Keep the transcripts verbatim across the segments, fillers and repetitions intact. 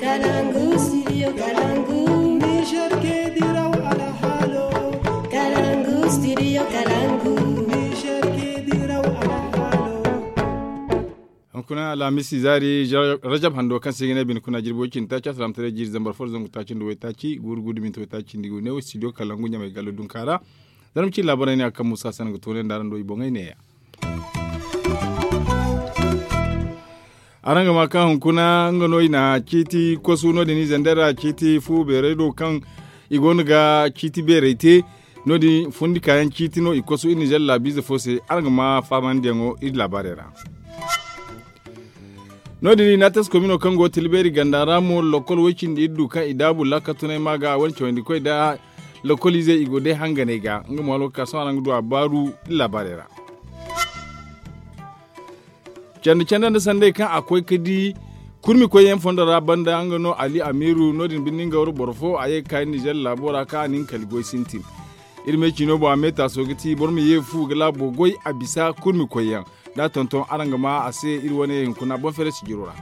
Kalangu studio kalangu. Niger ke diraw alhalo. Kalangu studio kalangu. Niger ke diraw alhalo. Hunkuna alhamisi zaari rajab hando kaŋ se ga ne bine kuna jirbi way cindi taaci asalam taray jiiri zambar fo da zangu taaci nda way taaci guuru guuru da minti way taaci nda i go ne wo studio kalangu ɲamay gallo dunka ra. Zarma ci laabaray ne a kaŋ musa sanaŋ ga toonay nda araŋ do i boŋey neeya. Araŋ ga ma kaŋ hunkuna nga no i na ciiti kosu no- din i zandara ciiti fu beeray do kaŋ i go no ga ciiti beeray te. No- din fundi kaayaŋ ciiti no i kosu i nizer laabiize fo se. Araŋ ga ma faamandiyaŋo iri laabaarey ra. No- din i na a te se komino kaŋ go tilbeeri ganda ra mo lokol way cindi iri du kaŋ i daabu laakatunay ma ga a wane cawandi koy nda lokol izey i go day hanganey ga nga mo alwakka sohõ araŋ ga du a baaru iri laabaarey ra. Candi candi nda sanday kaŋ a koy ga di kurmi koyyaŋ fondo ra banda nga no ali amiru no- din binde nga wara boro fo a ye ga ka iri nizer laabo ra kaŋ a na hin kali goy sintin. Iri me ciino boŋ a me taaso ga ti boro ma ye fu ga laabo goy a bisa kurmi koyyaŋ. Da a tonton araŋ ga ma a se iri wane hunkuna boŋ fere sijiro ra.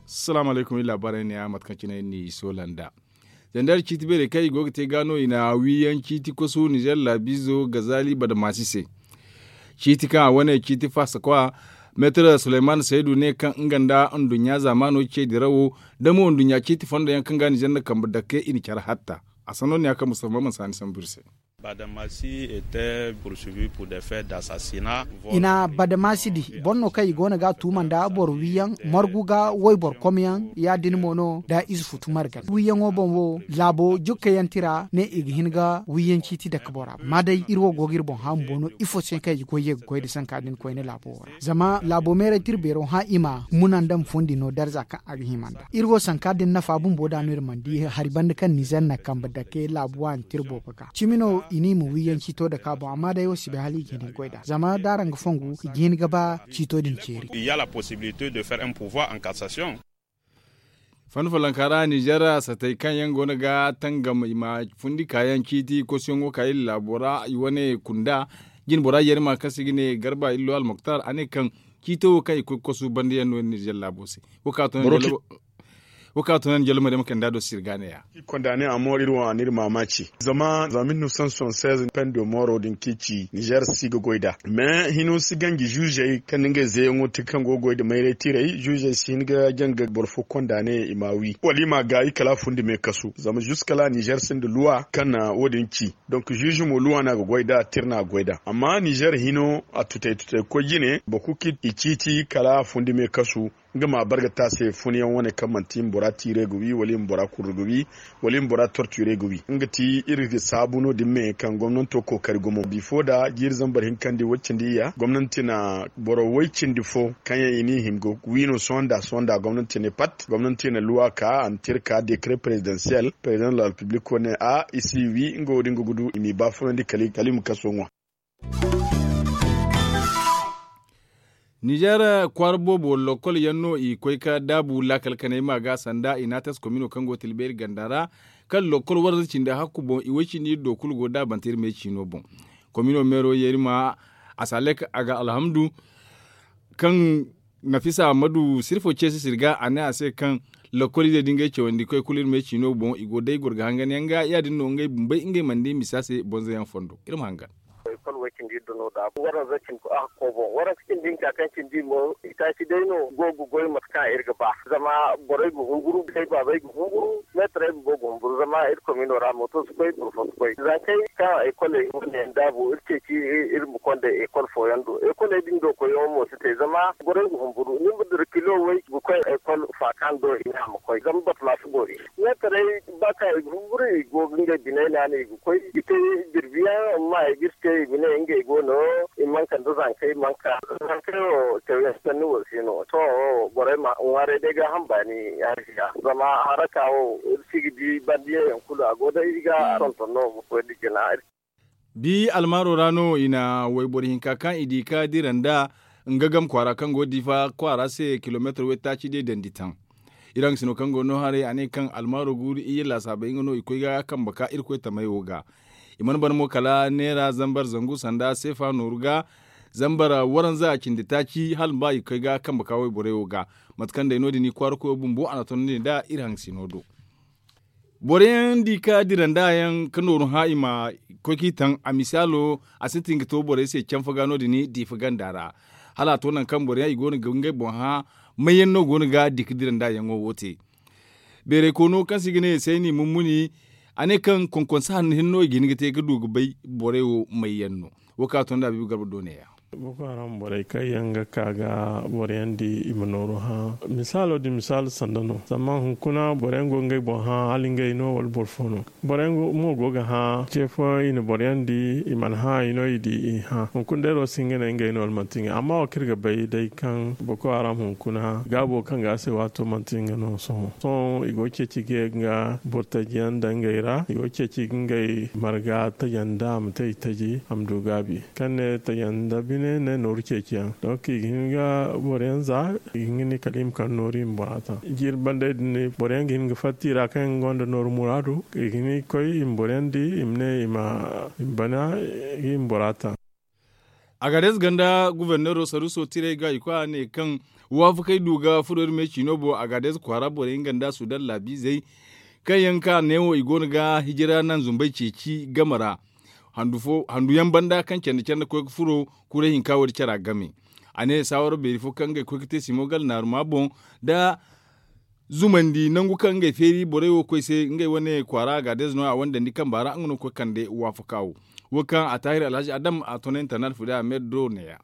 Salaamu alaykum iri laabaarey ne ya mate kaŋ cine iri n'i soola nda zandar ciiti beerey kaŋ i go ga te ga no i na wiiyaŋ ciiti kosu nizer laabiizo gazali badamaasi se. Ciiti kaŋ a wane ciiti faasa kwa meetar suleyman saydu ne kaŋ nga nda nduɲɲa zaamaano ce dirawo da mo nduɲɲa ciiti fondo yaŋ kaŋ ga nizer nda kambe dake i na care hatta. A sanno ne ya kaŋ mustafa maman saani sambu iri se. Badamasi ete pursuivi pur de fe dasasina. I na badamasi di boro no kaŋ i go no ga a tuuma nda boro wiiyaŋ margu ga wayboro komyaŋ ya- din mo no da ize futu margan wiiyaŋo boŋ wo. Laabo jukkayaŋ tira ne i ga hin ga wiiyaŋ ciiti dake bora ma day iri wo go ga iri boŋ haamu boŋ no ifo se kaŋ i ga goy ye ga koy nda sanka din koyne laabo wo ra zama laabo meeray tira beero hã i ma muna nda ma fundi no darza kaŋ a ga hima nda iri wo sanka din nafa bumbo da no iri mana di hari banda kaŋ nizer na kambe dake laabu waani tira boobo ga cimi no i ne i ma wiiyaŋ ciito dake a boŋ amma day wo si bay hala i ga hin ga goy nd'a zama da araŋ ga fongu i ga hin ga ba ciito din ceeri. Fanda follonka ra nizer satey kaŋ yaŋ go no ga tangam i ma fundi kaayaŋ ciiti kosuyaŋo ka iri laabo ra i wane kunda jine bora yerima kaŋ se i ga ne garba illo almoktar a ne kaŋ ciito wo kaŋ i koy ga kosu banda yaŋ no nizer laabo se. Wo kaŋ a to no ni jallama day ma kande a do sirga ne ya. Konda ne a mooro iri wo a na iri maamaaci zama za mil neuf cent soixante seize pendo mooro din kaŋ i ci nizer si ga goy nd'a mais hino si ganji zuuzey kaŋ na ngey zeeyaŋo te kaŋ go ga goy nda mayray tiray zuuzey si hin ga janga boro fo konda ne i ma wi wala i ma gaayi kala a fundi me kasu zama zuuska la nizer sinda luwa kaŋ na wo- din ci. Donk zuuzu mo luwa no a ga goy nd'a tira no a ga goy nd'a amma nizer hino a tutay tutay ga koy jine boro kulu kaŋ i ciiti kala a fundi me kasu. Nga ma a bar ga te a se fun yaŋ wane kaŋ manti i ma bora tiire ga wi wala i ma bora kurru ga wi wala i ma bora torture ga wi nga ti iri ga saabu no- din me kaŋ gomnanto kookari gumo bifo nda jiiri zambar hinkandi way cindi iyya gomnanti na boro way cindi fo kaŋ yaŋ i n'i hima ga wi no sohõ nda sohõ nda gomnanti ne pat gomnanti na luwa ka a na te iri ka dekret prezidansiyel prezidan de la repiblik wane a i si wi nga wo- din ga gudu i m'i baafunandi kala i ma kaso ŋwa. Nizer kwaara boobo lokol yaŋ no i koy ga daabu laakal kanay ma ga sanda i na a tas komino kaŋ go ga tilbeeri ganda ra kaŋ lokol warza cindi hakku boŋ i way cindi iri do kulu go daabante iri me ciino boŋ. Komino meero yeeri ma a si a lek a ga alhamdu kaŋ nafisa ammadu sirfo ceesi sirga a ne a se kaŋ lokol ize da ngey cawandi koy kulu iri me ciino boŋ i go day goro ga hangan yaŋ ga ya- din no ngey bumbey ngey mana di misa se bonzo yaŋ fondo iri ma hangan. Ekol way cindi iri do no da waranza cindi a hakko boŋ waranza cindi hinka kaŋ cindi mo itaaci day no go ga goy mate kaŋ iri ga ba zama borey ga humburu borey baabey ga humburu meetarey bumbo ga humburu zama iri komino ra mooto si koy boro fo si koy zankey kaŋ ekoley wane yaŋ daabu iri ceeci iri ma konda ekol fooyaŋ do ekoley din do koyyaŋo mo si te zama borey ga humburu ni ma dira kilo way ga koy ekol faakaŋ do i ne a ma koy zama batama si boori meetarey ba kaŋ i ga humburu i go ga ngey biney naana i ga koy i te jirbi yaŋ amma i ga iri te i ma ne ngey go no i mana kande zankey mana ka zankey wo cawyaŋ sanni wo si no sohõ wo borey ma ŋwaaray day gaaham baani hari ga zama haraka wo iri si ga di banda ye yaŋ kulu a go day i ga tonton no ga koy nda jina. Bi almaaro ra no i na wayboro hinka kaŋ i di ka dira nda nga gam kwaara kaŋ go difa kwaara se kilomeetar waytaaci day dandi taŋ. Iri hangasino kaŋ go no haray a ne kaŋ almaaro guuru iyye laasaabey nga no i koy ga kambe ka irkoy tamey wo ga. I mana ban mo kala neera zambar zangu sanda seefa nooru ga. Zambar waranza a cindi taaci hala ba i ga koy ga kambe ka wayborey wo ga. Mate kaŋ day no- din i kwaara koyo bumbo a na tondandi nd'a iri haŋ sino do. Boro yaŋ di ka dira nda yaŋ ka nooru hã i ma koy k'i taŋ a misaalo, a sintin ga to borey se canfa ga no- din diifa ganda ra. Hala a to nangu kaŋ boro yaŋ i go no ga ngey boŋ hã, may yaŋ no go no ga di ka dira nda yaŋo wo te? Beeray koono kaŋ se i ga ne sayni mummuni, a ne kaŋ konkonsa hanno hinne no i ga hin ga te ga du ga bay borey wo may yaŋ no. Wo kaŋ a to nda bibi garba do neeya. Boko haram borey kaŋ yaŋ ga ka ga boro yaŋ di i ma nooru hã. Misaalo din misaalo sanda no zama hunkuna boro yaŋ go ga ngey boŋ hã hala ngey no wala boro fo no? Boro yaŋ mo go ga hã ce fo i na boro yaŋ di i mana hã i no i di i hã hunkuna day ro si hin ga ne ngey no wala manti ngey amma wo kaŋ iri ga bay day kaŋ boko haram hunkuna gaabo kaŋ ga a se waato manti nga no sohõ sohõ i go ga ceeci ga ye ga boro taji yaŋ daŋ ngey ra i go ga ceeci ga ngey marga taji yaŋ da a ma te i taji a ma du gaabi kaŋ ne taji yaŋ nda bine ne nooru ceeci yaŋ donk i ga hin ga boro yaŋ za i ga hin ga ni kala i ma kande nooru i ma bora taŋ jiiri bandey din boro yaŋ ga hin ga fatta i ra kaŋ yaŋ gonda nooru muraadu i ga hin ga koy i ma boro yaŋ di i ma ne i ma bana i ma bora taŋ. Agades ganda guverneero saruuso tirey ga i koy a ne kaŋ waafakey du ga furo iri me ciino boŋ agades kwaara borey nga nda sudan laabiizey kaŋ yaŋ ka neewo i go no ga hijira naŋ zumbey ceeci game ra handu yaŋ banda kaŋ candi candi koy ga furo kuray hinka wo- din cara game. A ne saawara beeri fo kaŋ ngey koy ga te simo gala naaruma boŋ nda zumandi nangu kaŋ ngey feeri borey wo koy se ngey wane kwaara gaadez no a wane dandi kamba ra nga no ga koy kande waafaka wo. Wo kaŋ a taahir alhazi adam a tona internal fude a meedo neeya.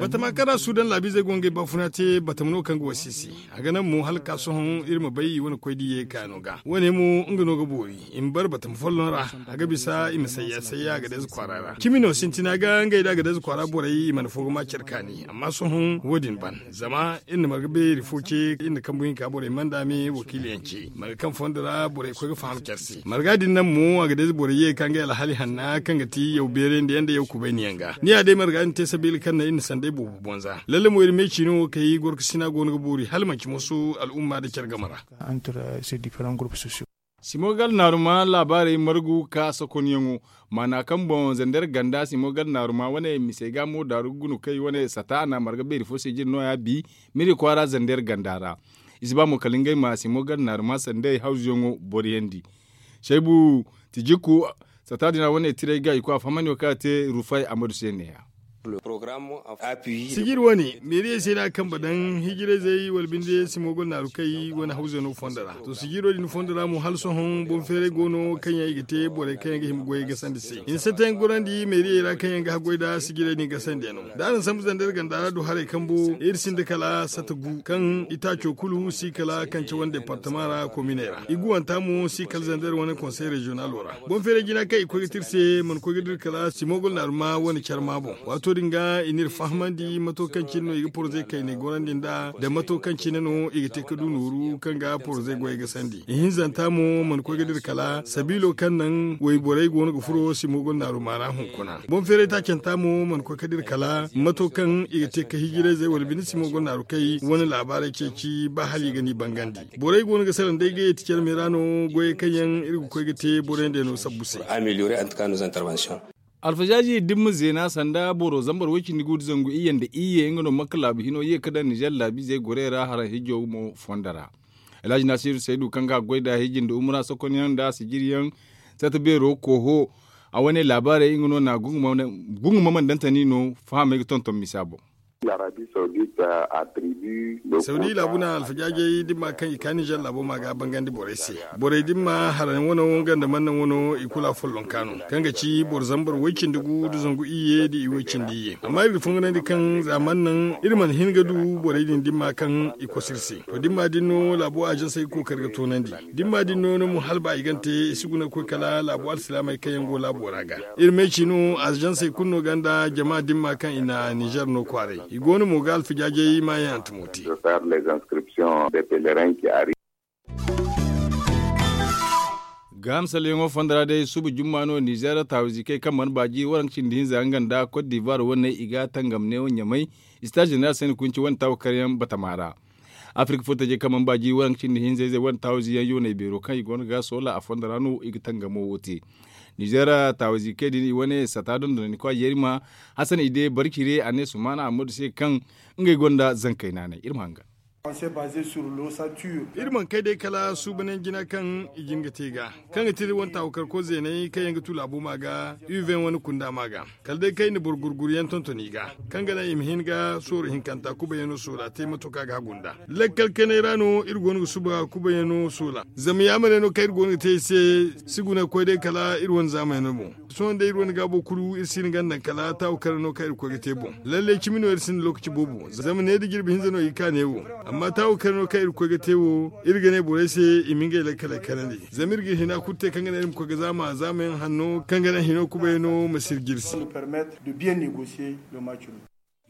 Batama kaŋ ra sudan laabiizey go ngey baafuna te batama no kaŋ ga wasi se. A ga naŋ mo hala ga ka sohõ iri ma bay i wane koy diiyey kaano ga wane mo nga no ga boori i ma bare batama folloŋ ra. A ga bisa i ma sayya sayya agades kwaara ra cimi no sintina ga ngey nda agades kwaara borey i mana fo ga ma care kaani amma sohõ wo- din ban zama iri na marga beeri fo ce iri na kambu hinka borey manda me wakiiliyaŋ ce marga kaŋ fondo ra borey koy ga faham care se marga din naŋ mo agades borey ye ga ka ngey alhali hanna kaŋ ga ti yaw beerandi yaŋ nda yaw kubayni yaŋ ga ni ya day marga din te sabiila kaŋ naŋ iri na sanday boobo bonza lalle mo iri me ciino wo kay gorkasina go no ga boori hala manci moso al'umma nda care game ra. Simogal naaruma laabaarey margu ka sokonyaŋo maana kaŋ boŋ zander ganda simogal naaruma wane misey ga mo daaru gunu kay wane sata a na marga beeri fo se jine no- ya bi miri kwaara zander ganda ra. I si ba mo kala ngey ma simogal naaruma sanday hawzuyaŋo boriyandi. Saybu tijikku sata din ra wane tiray ga i koy a fahamandi wo kaŋ a te rufay amadu se ne- ya. Sijir wane meeriyey se no a kambe daŋ hijirayzey wala binde simogo naaru kay wane hawzano fondo ra to sijiro din fondo ra mo hala sohõ boŋ feeray go no kaŋ yaŋ i ga te borey kaŋ yaŋ ga hima goyey gasandi se hinse te yaŋ gorandi meeriyey ra kaŋ yaŋ ga haggoy nda sijirey din gasandi yaŋ no da araŋ sambu zandar ganda ra du haray kambo iri sinda kala sata gu kaŋ itaaco kulu si kala kance wane departama ra kominey ra i guwanta mo si kala zandar wane konsey reziyonalo ra. Boŋ feeray jina kaŋ i koy ga te iri se mana koy ga dira kala simogol naaruma wane care ma boŋ waato din ga i n'iri fahamandi mato kaŋ cine no i ga poroze kayney gorandi nd'a da mato kaŋ cine no i ga te ga du nooru kaŋ ga poroze goyey ga sandi ihinzanta mo mana koy ga dira kala sabiilo kaŋ naŋ wayborey go no ga furo simogol naaruma ra hunkuna. Boŋ feeray taacanta mo mana koy ga dira kala mato kaŋ i ga te ga hijirayzey wala bine simogol naaru kay wane laabaarey ceeci ba hala i ga n'i bangandi. Borey go no ga salaŋ day ga yeeti care me ra no goyey kaŋ yaŋ iri ga koy ga te borey nd'ey no sabbu se. Alfazaaji dimma zeena sanda boro zambar way-cindi gu nda zangu iyye nda iyye nga no makka laabu hino ye ga daŋ nizer laabiizey gorey ra haraŋ hijo mo fondo ra. Alhaji nasiru saydu kaŋ ga a goy nda hiji nda umura sokonyaŋ nda a sijiriyaŋ sata beero kooho a wane laabaarey nga no na gunguma mandantani no fahamey ga tonton misa boŋ. Saudi laabu na alfajaajey dimma kaŋ i ka nizer laabo ma ga bangandi borey se. Borey dimma harayaŋ wano nga nda mannaŋ wano i kulu afollonka no kaŋ ga ci boro zambar way-cindi gu nda zangu iyye nda i way-cindi iyye amma iri ga fonganandi kaŋ za mannaŋ iri mana hin ga du borey din dimma kaŋ i koso iri se. To dimma din no laabo azansey ga kookari ga toonandi. Dimma din no no mo hala ba i gana te i si guna ga koy kala laabo alsilaamey kaŋ yaŋ go laabo ra ga. Iri ma ay ci no azansey kulu no ganda jama dimma kaŋ i na nizer no kwaaray i go no mo ga alfijaajey maayaŋ hantumo te. Gaaham salleyaŋo fondo ra day suba jumma no nizer taawizi kay kaŋ mana baaji waranka cindi hinza nga nda kot divuwar wane i ga tangam neewo ɲamay. Sitaaz jeneral sayni kunci wane taawa karyaŋ batama ra. Afirka furtajey kaŋ mana baaji waranka cindi hinza izey wane taawizi yaŋ yoonay beero kaŋ i go no ga soola a fondo ra no i ga tangamo wo te. Nizeer taawizi kay din i wane sata dondonandi kwa yerima hasan ide barcire a ne sumaana ammadu se kaŋ ngey gonda zankey naanay iri ma hangan. Iri mana kay day kala suubanyaŋ jina kaŋ i jin ga te ga kaŋ ga tira wane taawakar ko zeenay kaŋ yaŋ ga tu laabo ma ga uven wane kunda ma ga kala day kaŋ i na boro gurguru yaŋ tonton i ga kaŋ ga naŋ i ma hin ga sooro hinkanta kubayano soola te mato kaŋ a ga hagu nda lakkal kanay ra no iri go no ga suba kubayano soola. Zama yaamar yaŋ no kaŋ iri go no ga te i se si guna ga koy day kala iri wane zaamayaŋ no boŋ. Sohõ day iri wane gaabo kulu iri si hin ga naŋ kala taawu kare no kaŋ iri ga koy ga te boŋ. Lallay cimi no iri sinda lookaci boobo zama ne da jirbi hinza no i ga ka ne wo. Amma taawu kare no kaŋ iri ga koy ga te wo iri ga ne borey se i ma ngey lakkaley kanandi zama iri ga hina kulu te kaŋ ga naŋ iri ma koy ga zaama zaamayaŋ hanno kaŋ ga naŋ hino kubayano ma si iri jirsi.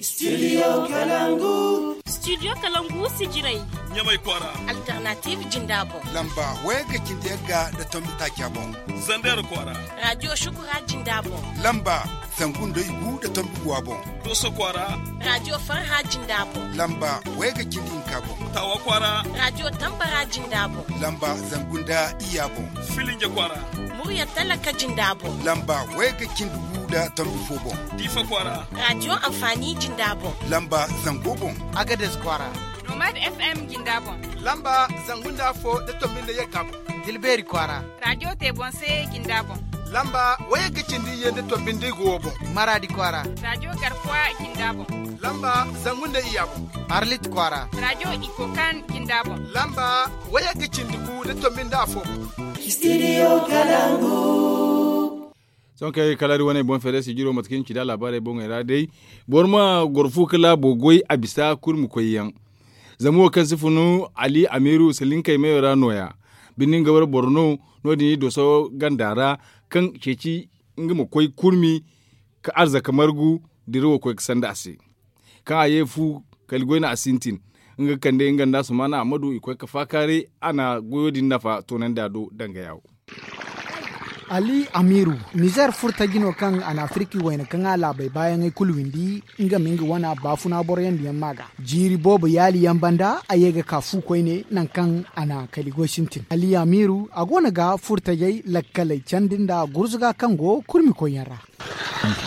Studio kalangu. Studio kalangu sijiray. Ɲamay kwaara. Alternative jinda boŋ. Lamba wayagga cindi yagga nda tombi taaca boŋ. Zander kwaara. Radio shukura jinda boŋ. Lamba zangu nda igu nda tombi guwa boŋ. Doso kwaara. Radio farha jinda boŋ. Lamba wayagga cindi hinka boŋ. Tawa kwaara. Radio tambara jinda boŋ. Lamba zangu nda iya boŋ. Filinja kwaara. Murya talaka jinda boŋ. Lamba wayagga cindi gu nda tombi fo boŋ. Diifa kwaara. Radio anfaani jinda boŋ. Lamba zango boŋ. Agades kwaara. Nomad fm jinda boŋ. Lamba zangu nda afo nda tombi nda yagga boŋ. Dilbeeri kwaara. Radio te boŋ se jinda boŋ. Lamba wayagga cindi ye nda tombi nda igu wo boŋ. Maraadi kwaara. Radio garkuwa jinda boŋ. Lamba zangu nda iya boŋ. Arlit kwaara. Radio ikokan jinda boŋ. Lamba wayagga cindi gu nda tombi nda afo boŋ. Studio kalangu. Sohõ kaŋ ay ga kala iri wane boŋ feere sijiro mate kaŋ iri ci da laabaarey boŋey ra day boro ma goro fu ka laabo goy a bisa kurmi koyyaŋ. Zama wo kaŋ si funu ali amiiru salinkey meyo ra nooya. Binde nga wara boro no no- din i doso ganda ra kaŋ ceeci nga ma koy kurmi ka arzaka margu dirawo koy ga sanda a se. Kaŋ a ye fu kala goyna a sintin nga ga kande nga nda sumaana ammadu i koy ga faakaaray a na goyo din nafa toonandi a do danga yaawo. Ali amiiru nizer furtaji no kaŋ a na afirki wayna kaŋ a laabey baayaŋey kulu windi. Nga ma nga wana baafuna boroyaŋ diyaŋ ma ga jiiri boobo yaali yaŋ banda a ye ga ka fu koyne nangu kaŋ a na kali goy sintin ali amiiru a go no ga furtajey lakkaley candi nda gurzuga kaŋ go kurmi koyyaŋ ra.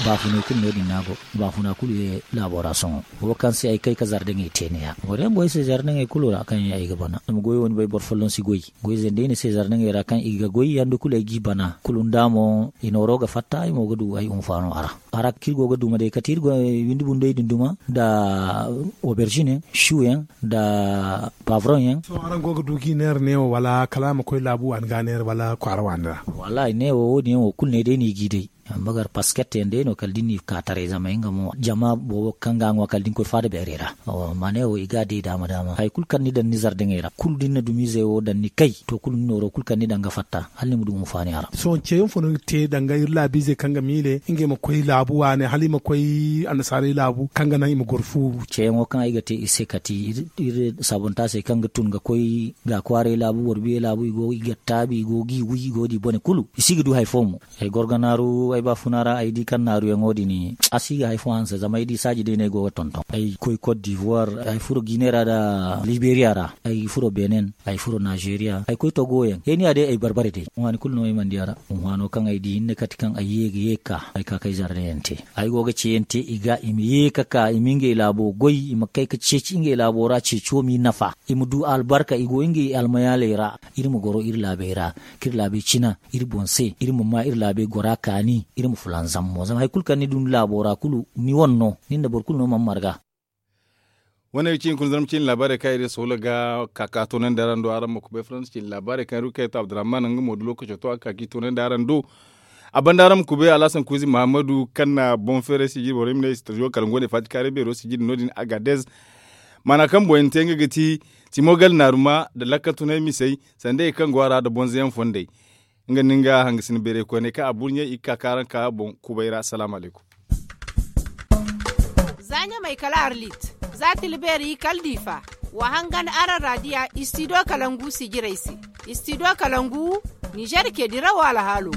Baafuney kulu no- din no a go. Baafuna kulu ye laabo ra sohõ wo kaŋ se ay kay ka zardaŋey te ne- ya boro yaŋ go ay se zardaŋey kulu ra kaŋ yaŋ ay ga bana zama goyo wo ni bay boro folloŋ si goy. Goy zandey ni se zardaŋey ra kaŋ i ga goy yanda kulu ay g'i bana kulu nda mo i nooro ga fatta ay mo ga du ay hunfaano a ra. A ra kaŋ iri go ga duma day kate iri go windi bundey din duma nda oberzine su yaŋ nda pavron yaŋ. Sohõ araŋ go ga du g'i neera neewo wala kala a ma koy laabu waani ga a neera wala kwaara waani ra? Wallaahi neewo wo- din yaŋ wo kulu ne day no i g'i day. Amma gar pasket yaŋ day no kala da ni ka taray zama nga mo jama boobo kaŋ ga a ŋwa kala da ni koy faada beerey ra. Amma neewo i ga a day daama daama hari kulu kaŋ ni daŋ ni zardaŋey ra kulu da ni na dumiizey wo daŋ ni kay to kulu ni nooro kulu kaŋ ni daŋ ga fatta hala ni ma du hunfaani a ra. Sohõ ceeyaŋ fo no ni ga te danga iri laabiizey kaŋ ga miile ngey ma koy laabu waane hala i ma koy annasaarey laabu kaŋ ga naŋ i ma goro fu? Ceeyaŋo kaŋ ay ga te iri se kati iri sabontaasey kaŋ ga tun ga koy ga kwaaray laabu boro biya laabu i go i ga taabi i go g'i wi i go di bone kulu i si ga du hari fo mo. Ay goro ga naaru ay baafuna ra ay di kaŋ naaruyaŋo din a si ga hari fo hanse zama ay di saaji day no ay go ga tonton ay koy kot divoir ay furo gine ra nda liberiya ra ay furo benen ay furo naazeeriya ay koy togoyaŋ heeniya day ay barbare day waani kulu no ay mana di a ra. Hunhwaano kaŋ ay di hinne kate kaŋ ay ye ga ye ga ka ay ka kay zardayaŋ te ay go ga ceeyaŋ te i ga i ma ye ga ka i ma ngey laabo goy i ma kay ga ceeci ngey laabo ra ceeco m'i nafa i ma du albarka i go ngey almayaaley ra. Iri ma goro iri laabey ra kaŋ iri laabey cina iri boŋ se iri ma maa iri laabey gora kaani iri ma fulanzam mo zama hari kulu kaŋ ni du ni laabo ra kulu ni wane no nin da boro kulu no mana marga. Wane ga ci hunkuna zarma ciine laabaarey kaŋ iri soola ga ka ka toonandi araŋ do araŋ ma kubay faransa ciine laabaarey kaŋ iri ga kay to abdurrahman nga mo da lookaco to a ga ka ka i toonandi araŋ do. A banda araŋ ma kubay alhasan kuuzi mahammadu kaŋ na boŋ feeray sijiri borey ma ne studio kalangu wane faati kaaray beero sijiri no- din agadez. Maana kaŋ boŋ yaŋ te nga ga ti timo gala naaruma nda lakkal tunay misey sanda i kaŋ go a ra nda bonzoyaŋ fondey. Nga nda nga hangasina beeray koyney kaŋ a burɲey i ga ka ka araŋ ka boŋ kubay ra salaamu alaykum. Za ɲamay kala arlit za tilbeeri kala diifa. Wa hangan araŋ raadiya istidiyo kalangu sijirey se. Istidiyo kalangu nizer ke dirawo alhaalo.